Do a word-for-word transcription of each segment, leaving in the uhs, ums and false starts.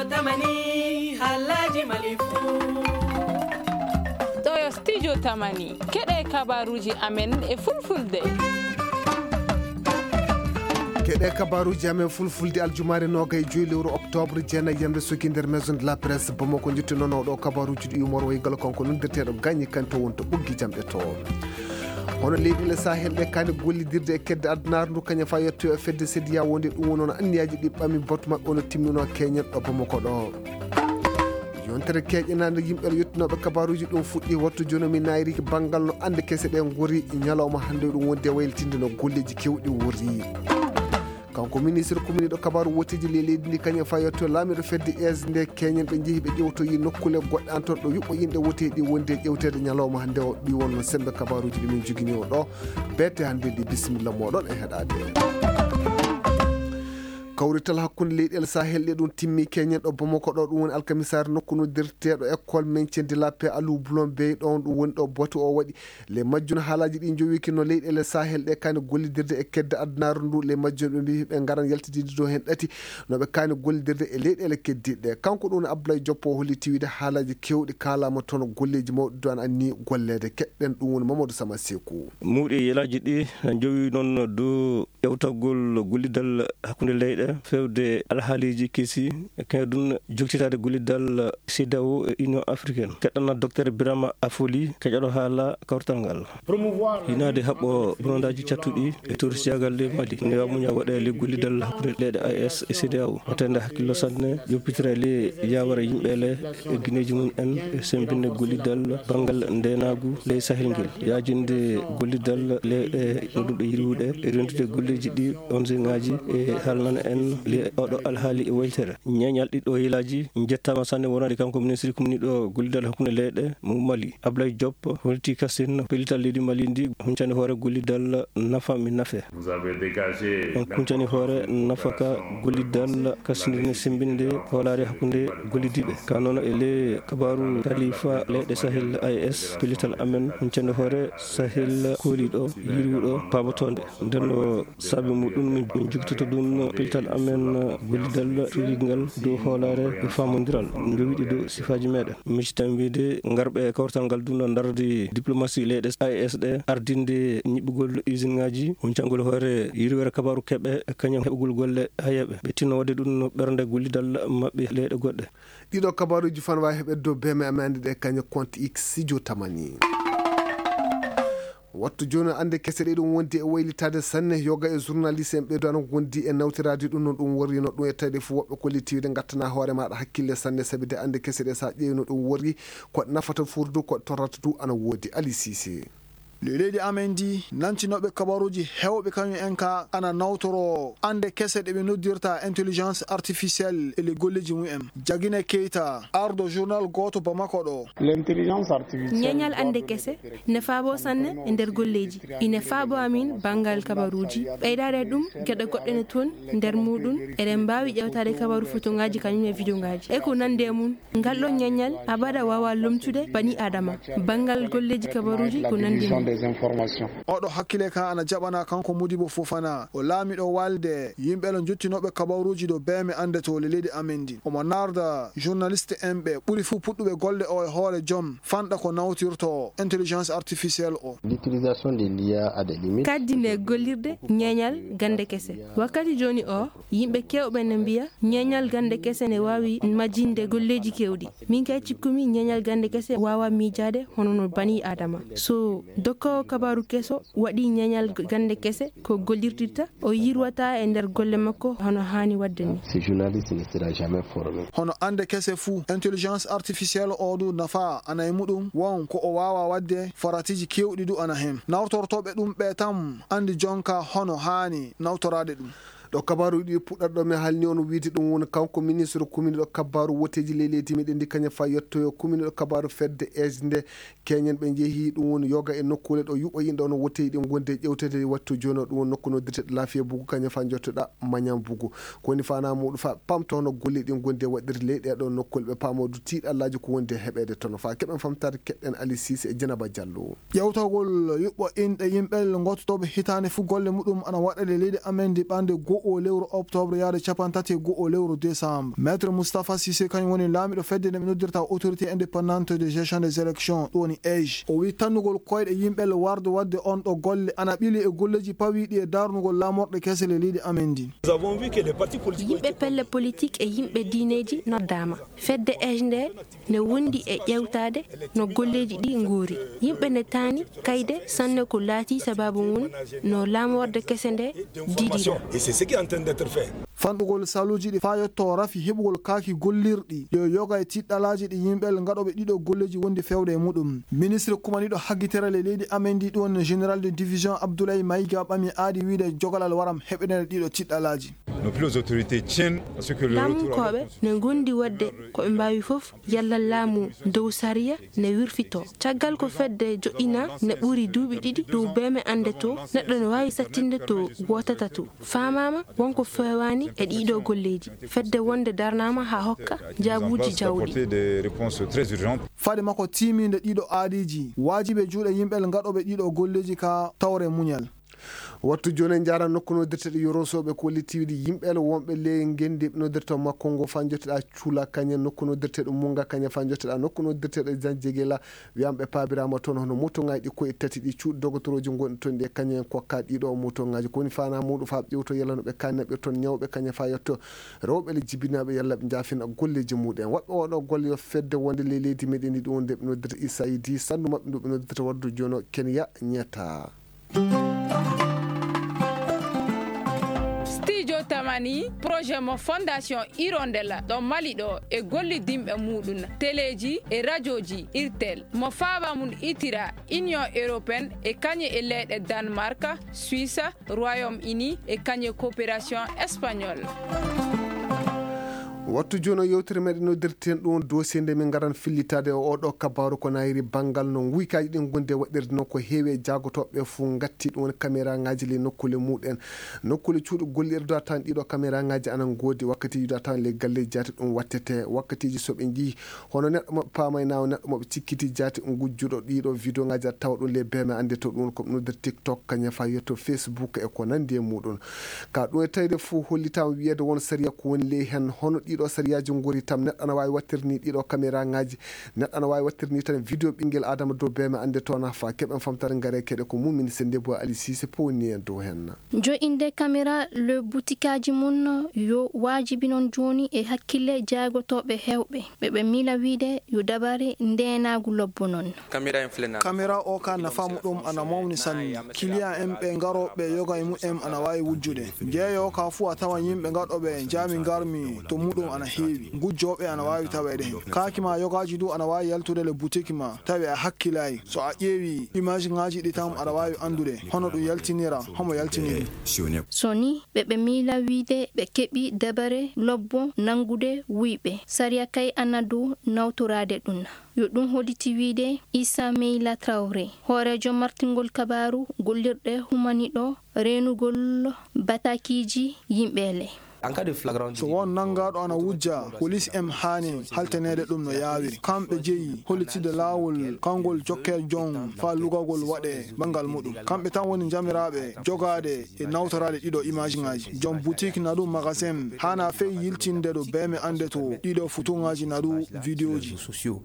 Tamani, haalaaji Mali fuu. Ɗoo yo Studio Tamani. Keɗee kabaaruuji amen e Fulfulde. Keɗee kabaaruuji amen Fulfulde aljumaare noogay e joy lewru oktoobre, jeenay yamre suki nder Maison de la Presse Bamako. Njettu noon oo ɗoo kabaaruuji ɗi yumor wayi galo kanko noddirteeɗo Gañi Kanto wonto ɓoggi jamɗe to. Hono leyɗeele Sahel ɗe kaani gollidirde e kedde addunaare ndu, kañum faa yettoyoo e fedde CEDEAO nde, ɗum woni hono anniyaaji ɗi ɓami batu maɓɓe ono timminoo keñen ɗo Bamako ɗo. Yontere keeƴanaande yimɓe yottinooɓe kabaaruuji ɗum fuɗɗii wattu jooni mi naayri banngal no annde kese ɗe ngori ñalawma hannde ɗum wondi e waylitinde no golleeji keewɗi wori. Kanko ministre kuminiiɗo kabaaru woteeji ley leydi ndi, kañum faa yetto laamiiɗo fedde es nde keñen ɓe njehi ɓe ƴewtoyi nokkuule goɗɗe antor ɗo yuɓɓo yimɓe woteeɗi wondi e ƴewteede ñalawma hannde o. Ɗi wonno semmbe kabaaruuji ɗi min njogini on ɗo. Beete hannde ɗi, bisimilla mooɗon e heɗaade. Kawrital hakkunde leyɗeele Sahel ɗe ɗum timmi keñen ɗo Bamako ɗo, ɗum woni alkamisaare nokku noddirteeɗo école maintien de la paix Aliou Blondin Bèye ɗon ɗum woni ɗo batu o waɗi. Ley majjum haalaaji ɗi njowiki no leyɗeele Sahel ɗe kaani gollidirde e kedde addunaare ndu. Ley majjum ɓe mbii ɓe ngaran yaltidinde dow heen ɗati no ɓe kaani gollidirde e leyɗeele keddiiɗe ɗe. Kanko ɗum Abdoulaye Diop o holliti wiide haalaaji keewɗi kaalaama toon, golleeji mawɗi ɗo ana annii golleede. Keɗɗen ɗum woni Mamadou Sama Seeku. Mawɗi yelaaji ɗi njowi noon dow ƴewtagol gollidal hakkunde leyɗe, feewde alhaaliiji kesi, e kañum ɗum joktitaade gollidal CEDEAO e Union Africaine. Keɗɗana Docteur Birama Afoli, keƴoɗo haala kawrital ngal. Hinaade haɓɓo bonondaaji cattuɗi e torosiyaagal ley Mali. Newa muña waɗa e ley gollidal hakkunde leyɗe A E S e CEDEAO. Waɗtande hakkillo sanne, ƴoppitira ley yaawara yimɓe le e gineeji mum en e semmbinde gollidal banngal ndeenaagu ley Sahel ngel. Yaajinde gollidal leyɗe ɗuuɗuɗe yirwuɗe e rentude golleeji ɗi O N G ŋaaji e haalnana en ley oɗo alhaali e weltere. Ñeeñal ɗiɗo yilaaji njettaama sanne wonande kanko ministre kumniiɗo gollidal hakkunde leyɗe mo Mali. Ablaye Diop, holti kasin pellital leydi Mali ndi, huncande hoore gollidal nafa mi nafe. On huncani hoore nafaka gollidal kasindine semmbinde hoolaare hakkunde gollidiiɓe. Ka noon e ley kabaaru kalifa leyɗe Sahel A E S, pellital amen huncande hoore Sahel kooliiɗo, yirwuɗo, paabotoonde. Nden no saabi muɗum min jogitoto ɗum pellital amen gollidal tuugingal dow hoolaare e faamondiral, njowiɗi dow sifaaji meɗen. Misitan wiide ngarɓe e kawrital ngal duna ndardi diplomasi leyɗe A E S ɗe, ardinde ñiɓɓugol usine ŋaaji, huncangol hoore yirwere kabaaru keɓe, kañum heɓugol golle hayeeɓe. Ɓe tinno waɗde ɗum no ɓernde gollidal maɓɓe leyɗe goɗɗe. Ɗiɗo kabaaruuji fan waawi heɓeede dow B M A mande ɗe kañum compte X Sidio Tamani. Wattu jooni, annde kese ɗe ɗum wondi e waylitaade sanne. Yoga e journaliste en ɓeydo ana ngondi e nawtiraade ɗum no ɗum worri, no ɗum e tawi ɗe fof woɓɓe kollitiiɓe nde ngattana hoore maaɗa hakkille sanne, sabi de annde kese ɗe so a ƴeewi no ɗum worri, ko ɗe nafata fuu du, ko ɗe torrata du ana woodi. Ali Sise. Ley leydi amen ndi, nantinooɓe kabaruuji heewɓe kañum en ka ana nawtoroo annde kese ɗe ɓe noddirta intelligence artificielle e ley golleeji mum en. Jagine Keyta, ardo journal gooto Bamako ɗo. L'intelligence artificielle ñeeñal annde kese ne faaboo sanne e nder golleeji. Ine faaboo amin banngal kabaruuji. Ɓeydaade e ɗum, geɗe goɗɗe ne toon nder muuɗum, eɗen mbaawi ƴeewtaade kabaru fotongaaji kañum e vidéongaaji. E ko nanndi e mum, ngal ɗoo ñeeñal abada waawaa lomtude banii Aadama. Banngal golleeji kabaruuji ko nanndi e mum. Oɗo hakkile ka ana jaɓana kanko Modibo Fofana, o laamiɗo waalde yimɓe le njottinooɓe kabaruuji ɗo B M A annde to le leydi amen ndi. Omo naarda journaliste en ɓe ɓuri fuu puɗɗuɓe golle o e hoore jom fanɗa ko nawtirto intelligence artificielle o. L'utilisation de l'I A a des limites. Kaddine gollirde ñeeñal gannde kese. Wakkati jooni o, yimɓe keewɓe ne mbiya ñeeñal gannde kese ne waawi majjinde golleeji keewɗi. Min kay cikkumi ñeeñal gannde kese waawaa miijaade hono no banii Aadama. So dokkoowo kabaaru keso waɗii ñeeñal gannde kese ko gollirtirta, o yirwataa e nder golle makko hono haani waɗde ni. Ce journaliste ne sera jamais formé. Hono annde kese fuu, intelligence artificielle o du nafa ana e muɗum, won ko o waawaa waɗde, faratiiji keewɗi du ana hen. Nawtortooɓe ɗum ɓe tan anndi jonka hono haani nawtoraade ɗum. Ɗo kabaaruuji ɗi puɗɗata ɗo, mi haalni on wiide ɗum woni kanko ministre kuminiiɗo kabaaru woteeji ley leydi meɗen ndi, kañum faa yettoyoo kuminiiɗo kabaaru fedde es nde keñen ɓe njehi, ɗum woni yoga e nokkuule ɗo yuɓɓo yimɓe ono woteeji ɗi ngondi e ƴewteede e wattu jooni o, ɗum woni nokku noddirteeɗo Laafiya Bugu, kañum faa njottoɗaa Mañan Bugu. Ko woni faanaa muuɗum faa ɓamta hono golle ɗi ngondi e waɗirde ley ɗee ɗoo nokkuule, ɓe paamoo du tiiɗallaaji ko wondi e heɓeede toon. Faa keɓen famtaare, keɗɗen Ali Siise e Jenaba Jallo. Ƴewtagol yuɓɓo inɗe yimɓe ngottotooɓe hitaande fuu golle muɗum ana waɗa ley leydi amen ndi ɓande goo oo lewru oktoobre yaade capanɗe tati e goo oo lewru desambre. Maître Moustapha Cissé kañum woni laamiiɗo fedde nde ɓe noddirta Autorité Indépendante de Gestion des Élections, ɗum woni ej. O wii tannugol koyɗe yimɓe le warde waɗde on ɗo golle ana ɓili e golleeji pawiiɗi e darnugol laamorɗe kese le leydi amen ndin. Yimɓe pelle politik e yimɓe diineeji noddaama. Fedde ej nde ne wondi e ƴeewtaade no golleeji ɗi ngoori. Yimɓe ne taani kayde sanne ko laatii sabaabu ngun no laamorde kese nde didira. Fanɗugol saluuji ɗi faa yotto rafi heɓugol kaaki gollirɗi yo yoga e tiɗɗalaaji ɗi yimɓe ngaɗooɓe ɗiɗo golleeji wondi fewde e muɗum. Ministre kumaniiɗo haggitere le leydi amen ndi ɗum woni général de division Abdoulaye Maïga ɓami aadi wiide jogalal waram heɓeneede ɗiɗo tiɗɗalaaji. Nos plus hautes autorités tiennent à ce que le Laamunkooɓe ne ngondi waɗde ko ɓe mbaawi fof yalla laamu dow sariya ne wirfitoo. Caggal ko fedde joɗɗinaa ne ɓuri duuɓi ɗiɗi dow beeme annde to, neɗɗo ne waawi sattinde to wootata to. Faamaama won ko feewaani e ɗiɗo golleeji. Fedde wonde darnaama haa hokka jaabuuji jawɗi. Des réponses très urgentes. Faade makko tiimiinde ɗiɗo aadiiji, waajibi e juuɗe yimɓe ngaɗooɓe ɗiɗo golleeji ka tawre muñal. Wattu jooni en njaara nokku noddirteeɗo Yorosooɓe ko litiiɗi yimɓe wonɓe ley ngenndi ɓe noddirta makko ngo faa njotteɗaa cuula kañe nokku noddirteeɗo Munga kañe faa njotteɗaa nokku noddirteeɗo Jan Jegela. Wiyaama ɓe paabiraama toon hono motoŋaaji ɗi koye tati ɗi cuuɗi dogotorooji ngonɗi toon ɗi e kañum en kokkaa ɗiɗo motoŋaaji. Ko woni faanaa muuɗum faa ɓe ƴeewtoo yalla no ɓe kaanni ɓe toon ñawɓe kañum faa yetto rewɓe le jibinaaɓe yalla ɓe njaafina golleeji muuɗum en. Waɗɓe oo ɗoo golle yo fedde wonde ley leydi meɗen ndi ɗum wonde ɓe noddirta U S A I D, sanndu maɓɓe ndu ɓe noddirta wardu jooni o Kenya ñetta. Studio Tamani, projet mo Fondation Hirondella ɗo Mali ɗo e gollidinɓe muuɗum, teleeji e rajooji Irtel, mo faaba mum itira Union Européenne e kañe e leyɗe Danemark, Suisse, Royaume-Uni e kañe coopération espagnole. Wattu jooni o yewtere meɗen noddirten ɗum dossier nde min ngaran fillitaade e oo ɗoo kabaaru ko naayiri banngal no nguykaaji ɗin ngondi e waɗirde non ko heewi e jaagotooɓe fof ngatti ɗum woni kameraaŋaaji ley nokkuule muuɗum en. Nokkuule cuuɗi gollirde tan ɗiɗo kameraaŋaaji ana ngoodi wakkatiiji ɗo tan ley galleeji jaati ɗum wattete wakkatiiji so ɓe njii hono neɗɗo mo ɓe paamaynaa o neɗɗo mo ɓe cikkiti jaati ngujjuɗo ɗiɗo videoŋaaji aɗa tawa ɗum ley beeme annde to ɗum woni ko ɓe noddir TikTok kañum faa yetto Facebook e ko nanndi e muuɗum. Ka ɗum e tawde fof hollitaama wiyeede won sariya ko woni ley heen hono ɗiɗo sariyaaji ngori tam neɗɗo ana waawi waɗtirde ni ɗiɗo kameraaŋaaji neɗɗo ana waawi waɗtirde ni tan video ɓinngel aadama dow beeme annde to ana faa keɓen famtare ngare keɗe ko mumin se ndebo Ali Sise powni en dow heen. Jo'inde kamera le butikaaji mum yo waajibi non jooni e hakkille jaagotooɓe heewɓe ɓe ɓe miila wiide yo dabare ndeenaagu lobbo non. Kamera o ka nafa muɗum ana mawni sanne. Kiliyan en ɓe ngarooɓe yoga e mumen ana waawi wujjude. Jeeyo ka fuu a tawan yimɓe ngaɗooɓe jaami ngarmi to muɗum ana heewi. Ngujjooɓe ana waawi taweede hen. Kaaki ma yogaaji du ana waawi yaltude le butik ma tawi a hakkilaay. So a ƴeewi image ŋaaji ɗi tan aɗa waawi anndude hono ɗum yaltinira homo yaltini ɗum. So ni ɓe ɓe miila wiide ɓe keɓi dabare lobbo nanngude wuyɓe sariya kay ana dow nawtoraade ɗum. Yo ɗum holliti wiide Issa Meyla Traoré hooreejo martingol kabaaru gollirɗe humaniɗo reenugol bataakiiji yimɓe le. So won nanngaaɗo ana wujja polis en haani haltaneede ɗum no yaawiri kamɓe jeyi hollitide laawol kanngol jokkee jom faa lugagol waɗee banngal muɗum kamɓe tan woni njamiraaɓe jogaade e nawtoraade ɗiɗo image ŋaaji joom butik nadu magasin haana fey yiltinde ɗo beeme annde to ɗiɗo fotoŋaaji nadu videoji.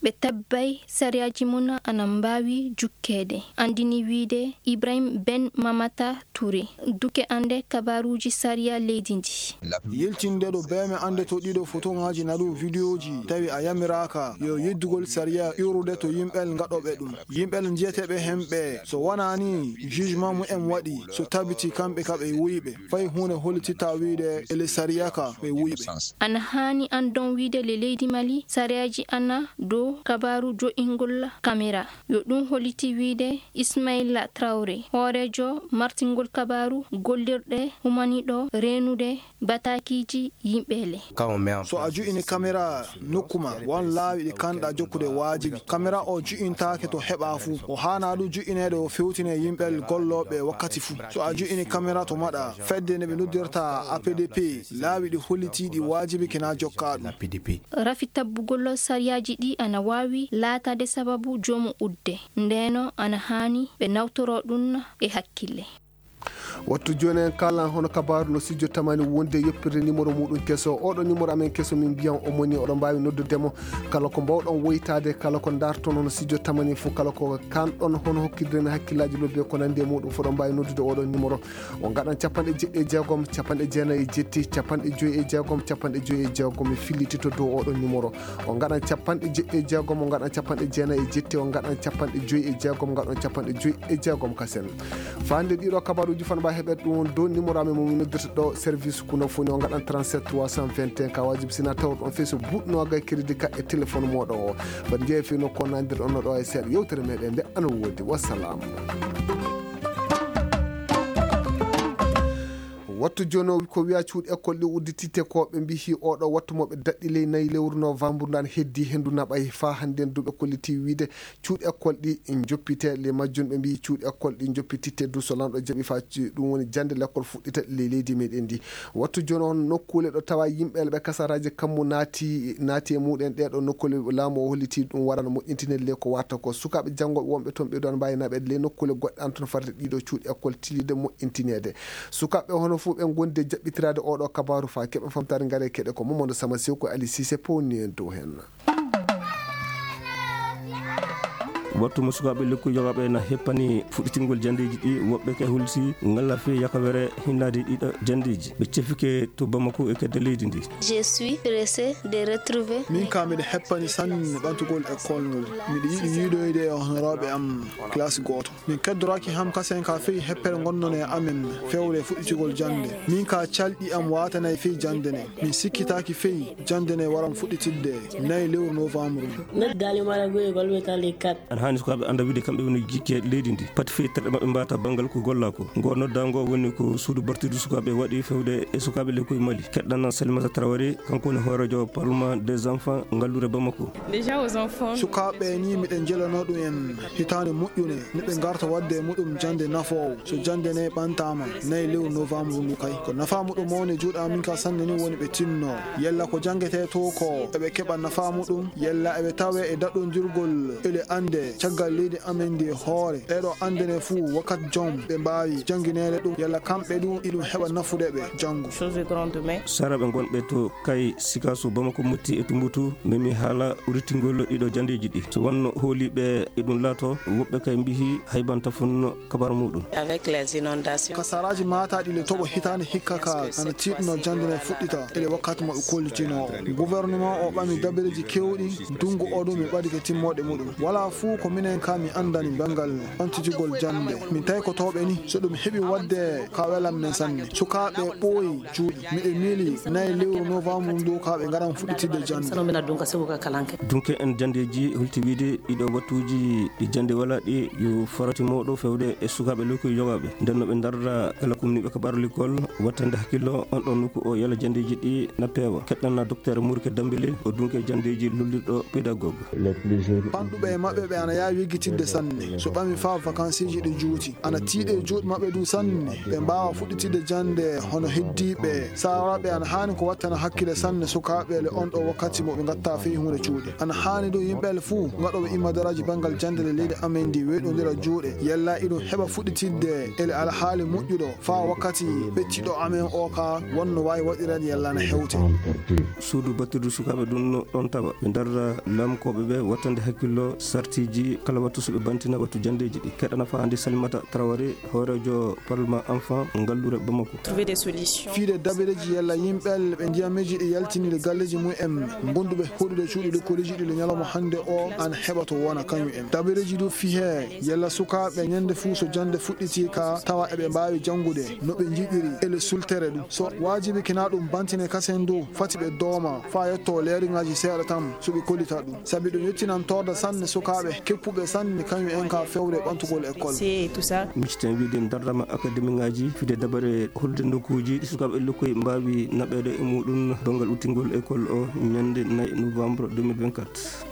Ɓe tabbay sariyaaji mum ana mbaawi jukkeede anndini wiide Ibrahim Ben Mamata Touré duke annde kabaaruuji sariya leydi ndi. Yiltinde ɗo beeme annde to ɗiɗo fotoŋaaji nadu videoji tawi a yamiraaka yo yeddugol sariya iwrude to yimɓel ngaɗooɓe ɗum. Yimɓe le njiyateeɓe hemɓe so wonaa nii jugement mumen waɗi so tabiti kamɓe ka ɓe wuyɓe fay huunde hollititaa wiide ele sariya ka ɓe wuyɓe. Ana haani anndon wiide le leydi Mali sariyaaji ana dow kabaaru jo'ingol kamera yo ɗum holliti wiide Ismaila Traore hooreejo martingol kabaaru gollirɗe humaniɗo reenude bataakiiji yimɓe le. So a ju'ini kamera nokku ma won laawi ɗi kanɗa jokkude waajibi kamera o ju'intaake to heɓa fuu o haana ɗum ju'ineede o fewtine yimɓe gollooɓe wakkati fuu. So a ju'ini kamera to maɗa fedde nde ɓe noddirta A P D P laawi ɗi hollitiiɗi waajibi kina jokka ɗum. Rafi tabbugol sariyaaji ɗi ana waawi laataade sababu joomu udde ndeeno ana haani ɓe nawtoroo ɗum e hakkille. Wattu jooni en kaalan hono kabaaru no studio tamani wonde yoppirde numéro muuɗum keso. Oɗo numéro amen keso min mbiyan o moni oɗon mbaawi noddude mo kala ko mbaawɗon woytaade, kala ko ndaarton hono studio tamani fof, kala ko kaanɗon hono hokkidiren hakkillaaji lobbe ko nanndi e muuɗum fof, oɗon mbaawi noddude oɗo numéro. O ngaɗan capanɗe jeɗɗi e jeegom, capanɗe jeenayi e jetti, capanɗe joyi e jeegom, capanɗe joyi e jeegom, mi filliti to dow oɗo numéro. O ngaɗan capanɗe jeɗɗi e jeegom, o ngaɗan capanɗe jeenayi e jetti, o ngaɗan capanɗe joyi e jeegom, ngaɗon capanɗe joyi e jeegom kasen. Faande ɗiɗo kabaruuji fano mbaawaa heɓeede ɗum on dow numéro amen mo min noddirta ɗo service kuno foni, o ngaɗan trente-sept trois cent vingt et un, ka waajibi si na tawruɗon fii so buuɗi noogay crédit ka e téléphone mooɗon o. Fati njeeya fii no ko nandirɗon no ɗo e seeɗa yewtere meɗen nde ana woodi. Wassalaamu. Wattu jooni o ko wiyaa cuuɗi école ɗi uddititte ko ɓe mbiyi oɗo wattu mo ɓe daɗɗi ley nayi lewru novembre ndan heddi henndu naɓay faa hannden du ɓe kolliti wiide cuuɗi école ɗi njoppite. Ley majjum ɓe mbiyi cuuɗi école ɗi njoppititte du so lanɗo jaɓi faa ci-, ɗum woni jannde lekkol fuɗɗita ley leydi meɗen ndi. Wattu jooni on nokkuule ɗo tawa yimɓe ɓe kasaraaji kammu naati, naati e muɗen ɗee ɗo nokkuule laamu o holliti ɗum warano moƴƴintinede ley ko warta ko sukaaɓe janngooɓe wonɓe toon ɓe ɗon mbaawi naɓeede ley nokkuule goɗɗe an toon farde ɗiɗo cuuɗi école tilliɗe moƴƴintineede. Sukaaɓe hono fof ɓe ngondi e jaɓɓitiraade oɗo kabaaru faa keɓa famtaare ngare keɗe ko Mamadou Sama Sew ko Ali Cissé powni en dow heen. Wattu mo sukaaɓe lekkoy yogaaɓe na heppani fuɗɗitingol janndeeji ɗi, woɓɓe kay holti ngalla fii yakawere hinnaade ɗiɗo janndeeji. Ɓe cefike to Bamako e kedde leydi ndi. Je suis pressé de retrouver. Min kaa miɗo heppani sanne ɓantugol école ngol. Miɗo yiɗi yiidoyde e honoraaɓe am classe gooto. Min keddoraaki ham kasen ka fii heppere ngonnon e amen fewre fuɗɗitingol jannde. Min kaa calɗi am waatanay fii jannde ne. Min sikkitaaki fii jannde ne waran fuɗɗitidde nay lewru novembre. Nder daali mara goye balwe tan le quatre. Ana haani sukaaɓe annda wiide kamɓe woni jikke leydi ndi. Pati fii terɗe maɓɓe mbaata banngal ko gollaa ko. Ngoo noddaa ngoo woni ko suudu bartirdu sukaaɓe waɗi fewde e sukaaɓe lekkoy Mali. Keɗɗana Salimata Traoré, kanko woni hooreejo Parlement des enfants ngalluure Bamako. Déjà aux enfants. Sukaaɓe ni miɗen jelanoo ɗum en hitaande moƴƴunde, no ɓe ngarta waɗde e muɗum jannde nafoowo. So jannde ne ɓantaama, nay lewru novembre ndu kay. Ko nafaa muɗum mawni e juuɗe amin ka sanne ni woni ɓe tinnoo. Yalla ko janngetee to ko, eɓe keɓa nafaa muɗum, yalla eɓe tawee e daɗondirgol, ele annde caggal leydi amen ndi e hoore. Ɗee ɗoo annde ne fuu, wakkati jom ɓe mbaawi janngineede ɗum, yalla kamɓe ɗum, iɗum heɓa nafude ɓe janngo. Saraaɓe ngonɓe to Kay, Sikaso, Bamako, Motti e Tumbutu, memi haala udditgol ɗiɗo janndeeji ɗi. So wanno hooliiɓe e ɗum laato, woɓɓe kay mbiyi haybanta fuu no kabar muuɗum. Avec les inondations. Ka saraaji maataaɗi le toɓo hitaande hikka ka, ana tiiɗno jannde ne fuɗɗita, ele wakkati mo ɓe kollitinoo o. Gouvernement o ɓami dabareeji keewɗi, ndunngu oo ɗum mi ɓadike timmooɗe muɗum. Walaa fuu ko minen kaa mi anndani banngal ɓantitigol jannde. Min taykotooɓe ni, so ɗum heɓi waɗde ka welan men sanne. Sukaaɓe ɓooyi juuɗe. Miɗo miili nay lewru novembre ndu ka ɓe ngaran fuɗɗitidde jannde. Dunke en janndeeji holti wiide ɗiɗo wattuuji ɗi jannde walaa ɗi yo farati mawɗo fewde e sukaaɓe lekkoy yogaaɓe. Nden no ɓe ndarra kala kumniiɓe ka ɓaarlikol wattande hakkillo on ɗon nokku o yalla janndeeji ɗi na peewa. Keɗɗana Docteur Murke Dambele o dunke janndeeji lollirɗo pédagogue. Panɗuɓe e maɓɓe ɓe ana yaawi yeggitidde sanne. So ɓami faa vakansiiji ɗi juuti. Ana tiiɗi e juuɗe maɓɓe duu sanne. Ɓe mbaawa fuɗɗitidde jannde hono heddiiɓe. Saaraaɓe ana haani ko wattana hakkille sanne sukaaɓe le on ɗoo wakkati mo ɓe ngattaa fey huunde cuuɗi. Ana haani duu yimɓe le fuu ngaɗooɓe imadaraaji banngal jannde le leydi amen ndi weeɗondira juuɗe. Yalla iɗum heɓa fuɗɗitidde ele alhaali moƴƴuɗo faa wakkati ɓettiɗo amen oo kaa wonno waawi waɗireede yalla ana hewte. Suudu battirdu sukaaɓe ɗum no ɗon tawa. Ɓe ndarra laamkooɓe ɓe wattande hakkillo sartiiji kala wattu so ɓe bantina wattu janndeeji ɗi. Keɗana faande Salimata Traoré, hooreejo Parlement Enfant ngalluure Bamako. Trouver des solutions. Fiide dabareeji yalla yimɓe ɓe ndiyameeji ɗi yaltiniiɗe galleeji mum en, ngonduɓe hoɗude cuuɗi lekkoleeji ɗi le ñalawma hannde o, ana heɓa to wona kañum en. Dabareeji du fii hee yalla sukaaɓe ñande fuu so jannde fuɗɗitii ka tawa eɓe mbaawi janngude no ɓe njiɗiri e le sultere ɗum. So waajibi kina ɗum bantine kasen du, fati ɓe dooma faa yottoo leeriŋaaji seeɗa tan so ɓe kollita ɗum. Sabi ɗum yettinan torda sanne sukaaɓe keppuɓe sanne kañum en ka fewre ɓantugol école. Micciten wiide ndarrama akademiŋaaji fide dabare holde nokkuuji ɗi sukaaɓe lekkoy mbaawi naɓeede e muuɗum banngal uttingol école o ñande nay novembre deux mille vingt-quatre.